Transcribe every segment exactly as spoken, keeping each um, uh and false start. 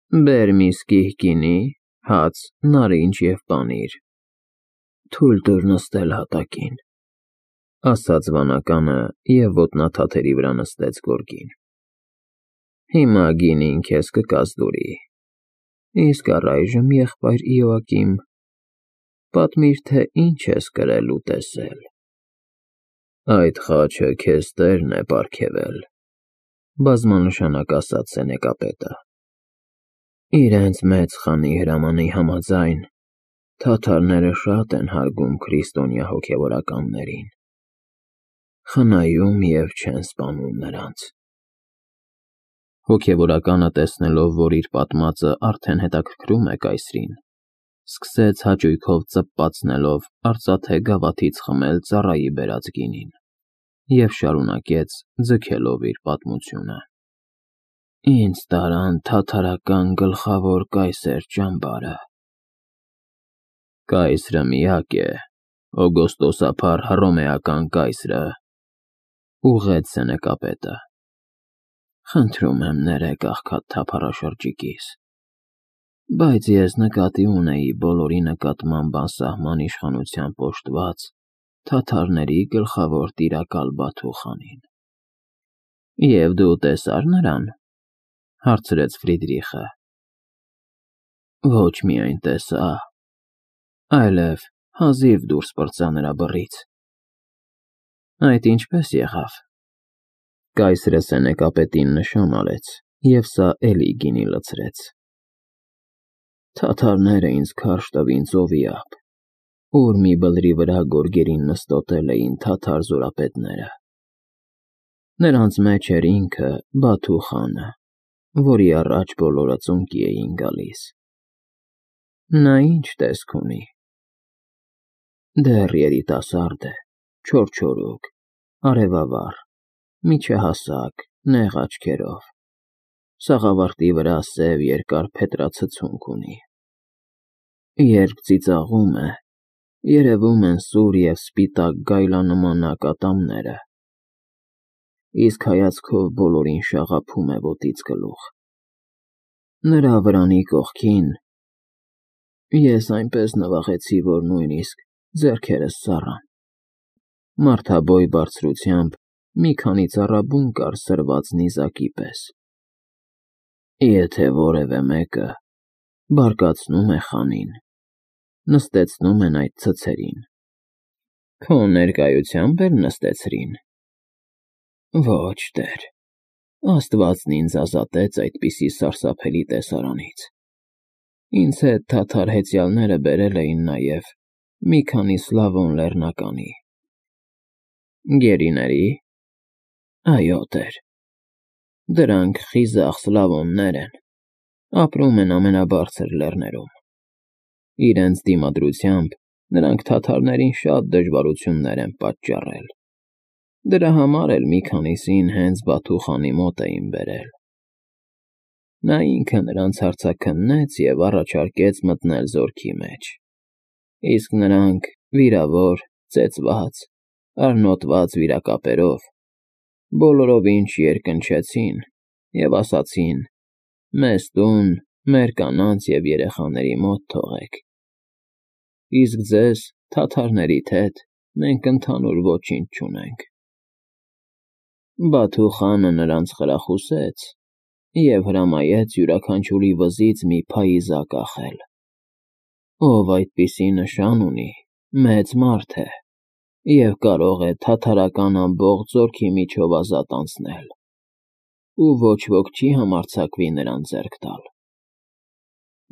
Բեր մի սկիհ գինի, հաց, նարինջ և պանիր, թույլ տուր նստել հատակին, ֊ ասաց վանականը և ոտնաթաթերի վրա նստեց գորգին։ ֊ Հիմա գինին քեզ կկազդուրի, իսկ առայժմ, եղբայր Իոակիմ, պատմիր, թե ինչ ես կրել ու տեսել։ ֊ Այդ խաչը քեզ տերն է պարգևել, ֊ բազմանշանակ ասաց սենեկապետը։ ֊ Իրենց մեծ խանի հրամանի համաձայն, թաթարները շատ են հարգում քրիստոնյա հոգևորականներին, խնայում և չեն սպանում նրանց։ Հոգևորականը, տեսնելով, որ իր պատմածը արդեն հետաքրքրում է կայսրին, սկսեց հաճույքով ծպպացնելով արծաթե գավաթից խմել ծառայի բերած գինին և շարունակեց, ձգելով իր պատմությունը. Ինձ տարան թաթարական գլխավոր կայսեր ճամբարը։ Կայսրը միակ է, Օգոստոսափառ Հռոմեական կայսրը, ֊ ուղղեց սենեկապետը։ Խնդրում եմ ներեք աղքատ թափառաշրջիկիս, բայց ես նկատի ունեի բոլորի նկատմամբ անսահման իշխանությամբ օժտված թաթարների գլխավոր տիրակալ Բաթուխանին։ ֊ Եվ դու տեսա՞ր նրան, ֊ հարցրեց Ֆրիդրիխը։ ֊ Ոչ միայն տեսա, այլև հազիվ դուրս պրծա նրա բռից։ ֊ Այդ ինչպե՞ս եղավ։ Կայսրը սենեկապետին նշան արեց, և սա էլի գինի լցրեց։ Թաթարները ինձ քարշ տվին ծովի ափ, ուր մի բլրի վրա գորգերին նստոտել էին թաթար զորապետները։ Նրանց մեջ էր ինքը Բաթու խանը, որի առաջ բոլորը ծունկի էին գալիս։ Նա ի՞նչ տեսք ունի։ Դեռ երիտասարդ է, չորչորուկ, արևավառ, միջահասակ, նեղ աչքերով, սաղավարտի վրա սև երկար փետրացցունք ունի։ Երբ ծիծաղում է, երևում են սուր և սպիտակ գայլանման ակատամները, իսկ հայացքով բոլորին շաղափում է ոտից գլուխ։ Նրա վրանի կողքին ես այնպես նվաղեցի, որ նույնիսկ ձեռքերս սառան։ Մարդաբոյ բարձրությամբ մի քանի ծառաբուն կար սրված նիզակի պես։ Եթե որևէ մեկը բարկացնում է խանին, նստեցնում են այդ ցցերին։ Քո ներկայությա՞մբ էլ նստեցրին։ Ոչ, տեր, Աստվածն ինձ ազատեց այդպիսի սարսափելի տեսարանից։ Ինձ հետ թաթար հեծյալները բերել էին նաև մի քանի Սլավոն լեռնականի։ Գերիների՞։ Այո, տեր, դրանք խիզախ Սլավոններ են, ապրում են ամենաբարձր լեռներում։ Իրենց դիմադրությամբ նրանք թաթարներին շատ դժվարություններ են պատճառել։ Դրա համար էլ մի քանիսին հենց Բաթու խանի մոտ էին բերել։ Նա ինքը նրանց հարցաքննեց և առաջարկեց մտնել զորքի մեջ, իսկ նրանք, վիրավոր, ծեծված, արնոտված վիրակապերով, բոլորովին չերկնչեցին և ասացին. «Մեզ տուն, մեր կանանց և երեխաների մոտ թողեք, իսկ ձեզ, թաթարներիդ հետ, մենք ընդհանուր ոչինչ չունենք»։ Բաթու խանը նրանց խրախուսեց և հրամայեց յուրաքանչյուրի վզից մի փայիզա կախել։ Ով այդպիսի նշան ունի, մեծ մարդ է և կարող է թաթարական ամբողջ զորքի միջով ազատ անցնել, ու ոչ ոք չի համարձակվի նրան ձեռք տալ։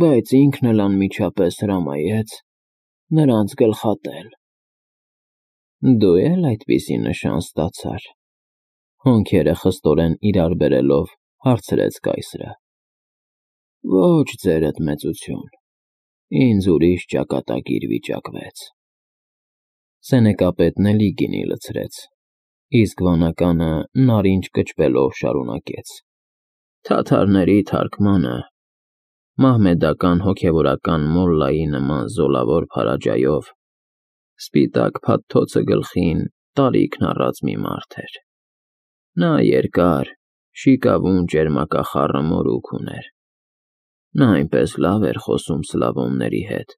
Բայց ինքն էլ անմիջապես հրամայեց նրանց գլխատել։ Դու է՞լ այդպիսի նշան ստացար, ֊ հոնքերը խստորեն իրար բերելով հարցրեց կայսրը։ Ոչ, ձերդ մեծություն, ինձ ուրիշ ճակատագիր վիճակվեց։ Սենեկապետն էլի գինի լցրեց, իսկ վանականը նարինջ կճվելով շարունակեց. Թաթարների թարգմանը մահմեդական հոգևորական մոլլայի նման զոլավոր փարաջայով սպիտակ փաթթոցը գլխին տարիքն առած մի մարդ էր։ Նա երկար, շիկավուն ճերմակախառը մորուք ուներ, Նա այնպես լավ էր խոսում սլավոնների հետ,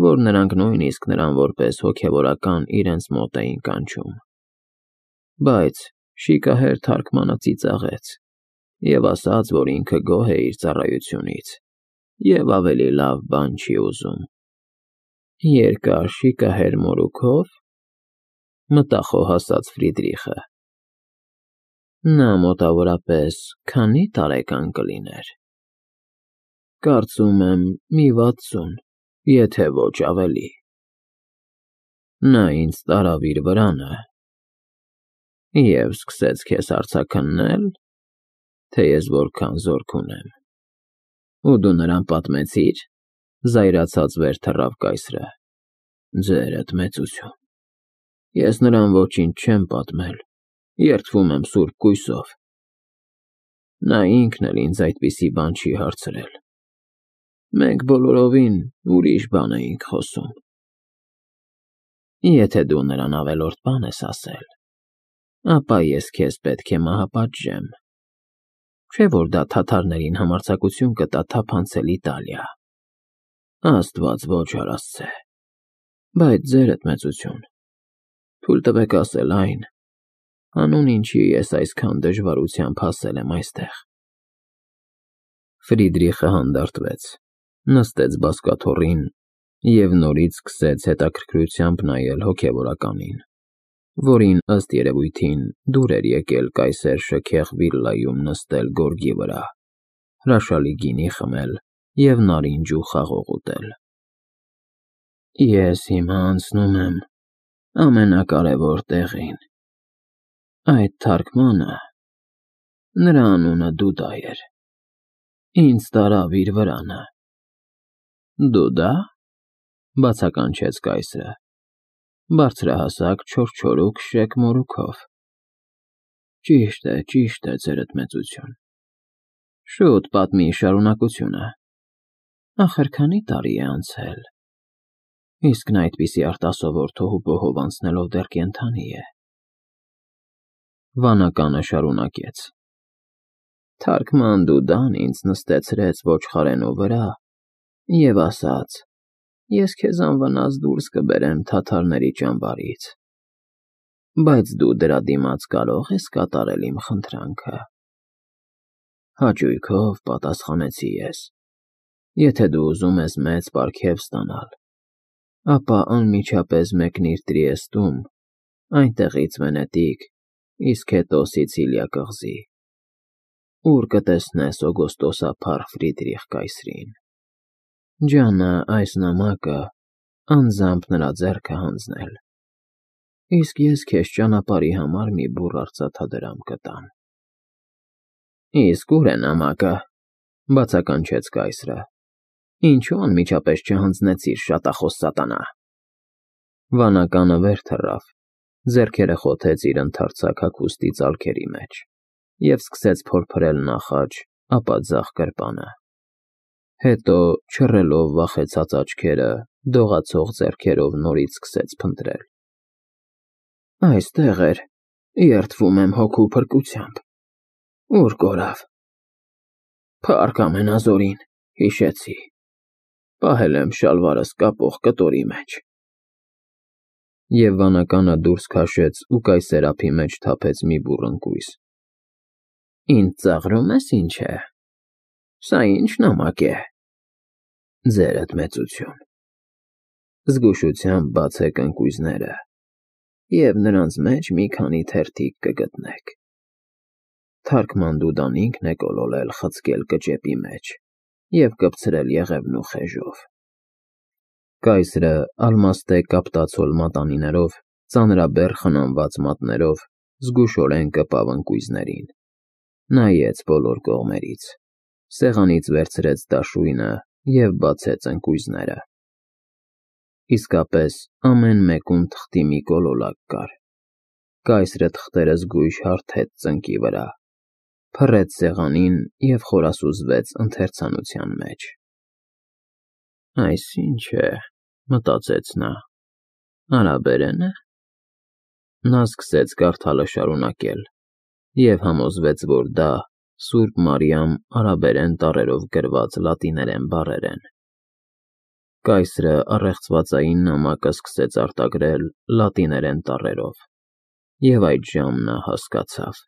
որ նրանք նույնիսկ նրան որպես հոգևորական իրենց մոտ էին կանչում։ Բայց շիկահեր թարգմանը ծիծաղեց և ասաց, որ ինքը գոհ է իր ծառայությունից և ավելի լավ բան չի ուզում։ Երկար շիկահեր մորուքով, մտախոհ ասաց Ֆրիդրիխը։ Նա մոտավորապես քանի՞ տարեկան կլիներ։ Կարծում եմ մի վաթսուն, եթե ոչ ավելի։ Նա ինձ տարավ իր վրանը և սկսեց քեզ հարցաքննել, թե ես որքան զորք ունեմ։ Ու դու նրան պատմեցի՞ր, զայրացած վեր թռավ կայսրը։ Ձերդ մեծություն։ Ես նրան ոչինչ չեմ պատմել, երդվում եմ սուրբ կույսով։ Նա ինքն էլ ինձ այդպիսի բան չի հարցրել։ Մենք բոլորովին ուրիշ բան էինք խոսում։ Եթե դու նրան ավելորդ բան ես ասել, ապա ես քեզ պետք է մահապատժեմ, չէ՞ որ դա թաթարներին համարձակություն կտա թափանցել Իտալիա։ Աստված ոչ արասցե։ Բայց ձերդ մեծություն, թույլ տվեք ասել այն, հանուն ինչի ես այսքան դժվարությամբ հասել եմ այստեղ։ Ֆրիդրիխը հանդարտվեց, նստեց բազկաթոռին և նորից սկսեց հետաքրքրությամբ նայել հոգևորականին, որին, ըստ երևույթին, դուր էր եկել կայսեր շքեղ վիլլայում նստել գորգի վրա, հրաշալի գինի խմել և նարինջ ու խաղող ուտել։ Ես հիմա անցնում եմ ամենակարևոր տեղին։ Այդ թարգմանը, նրա անունը Դուդա էր, ինձ տարավ իր վրանը։ Դուդա՞, բացականչեց կայսրը, բարձրահասակ չորչորուկ շեք մորուքով։ Ճիշտ է, ճիշտ է, ձերդ մեծություն։ Շուտ պատմի շարունակությունը։ Ախր քանի՞ տարի է անցել, իսկ նա այդպիսի արտասովոր թոհուբոհով անցնելով դեռ կենդանի է։ Վանականը շարունակեց. Թարգման Դուդան ինձ նստեցրեց ոչխարենու վրա և ասաց. ես քեզ անվնաս դուրս կբերեմ թաթարների ճամբարից, բայց դու դրա դիմաց կարո՞ղ ես կատարել իմ խնդրանքը։ Հաճույքով պատասխանեցի ես. եթե դու ուզում ես մեծ պարգև ստանալ, ապա անմիջապես մեկնիր Տրիեստում, այնտեղից Վենետիկ, իսկ հետո Սիցիլիա կղզի, ուր կտեսնես օգոստոսափառ Ֆրիդրիխ կայսրին։ Ջանը այս նամակը անձամբ նրա ձեռքը հանձնել, իսկ ես քեզ ճանապարհի համար մի բուռ արծաթադրամ կտամ։ Իսկ ուր է նամակը, բացականչեց կայսրը, ինչու անմիջապես չհանձնեցիր, շատախոս սատանա։ Վանականը վեր թռավ, ձեռքերը խոթեց իր ընդարձակ հագուստի ծալքերի մեջ և սկսեց փորփրել նախ աջ, ապա ձախ գրպանը։ Հետո, չռելով վախեցած աչքերը, դողացող ձեռքերով նորից սկսեց փնտրել։ Այստեղ էր, երդվում եմ հոգու փրկությամբ։ Ուր կորավ։ Փառք ամենազորին, հիշեցի։ Պահել եմ շալվարս կապող կտորի մեջ։ Եվ վանականը դուրս քաշեց ու կայսերափի մեջ թափեց մի բուռ ընկույզ։ Ինձ ծաղրում ես, ինչ է։ Սա ի՞նչ նամակ է։ Ձերդ մեծություն։ Զգուշությամբ բացեք ընկույզները և նրանց մեջ մի քանի թերթիկ կգտնեք։ Թարգման Դուդան ինքն է կոլոլել խցկել կճեպի մեջ և կպցրել եղևնու խեժով։ Կայսրը ալմաստե կապտացոլ մատանիներով, ծանրաբեռ խնամված մատներով զգուշորեն կպավ ընկույզներին, նայեց բոլոր կողմերից, սեղանից վերցրեց դաշույնը և բացեց ընկույզները։ Իսկապես, ամեն մեկում թղթի մի կոլորակ կար։ Կայսրը թղթերը զգույշ հարթեց ծնկի վրա, փռեց սեղանին և խորասուզվեց ընթերցանության մեջ։ Այս ի՞նչ է, մտածեց նա, արաբերեն է։ Նա սկսեց կարդալը շարունակել և համոզվեց, որ դա Սուրբ Մարիամ արաբերեն տառերով գրված լատիներեն բառեր են։ Կայսրը առեղծվածային նամակը սկսեց արտագրել լատիներեն տառերով, և այդժամ նա հասկացավ։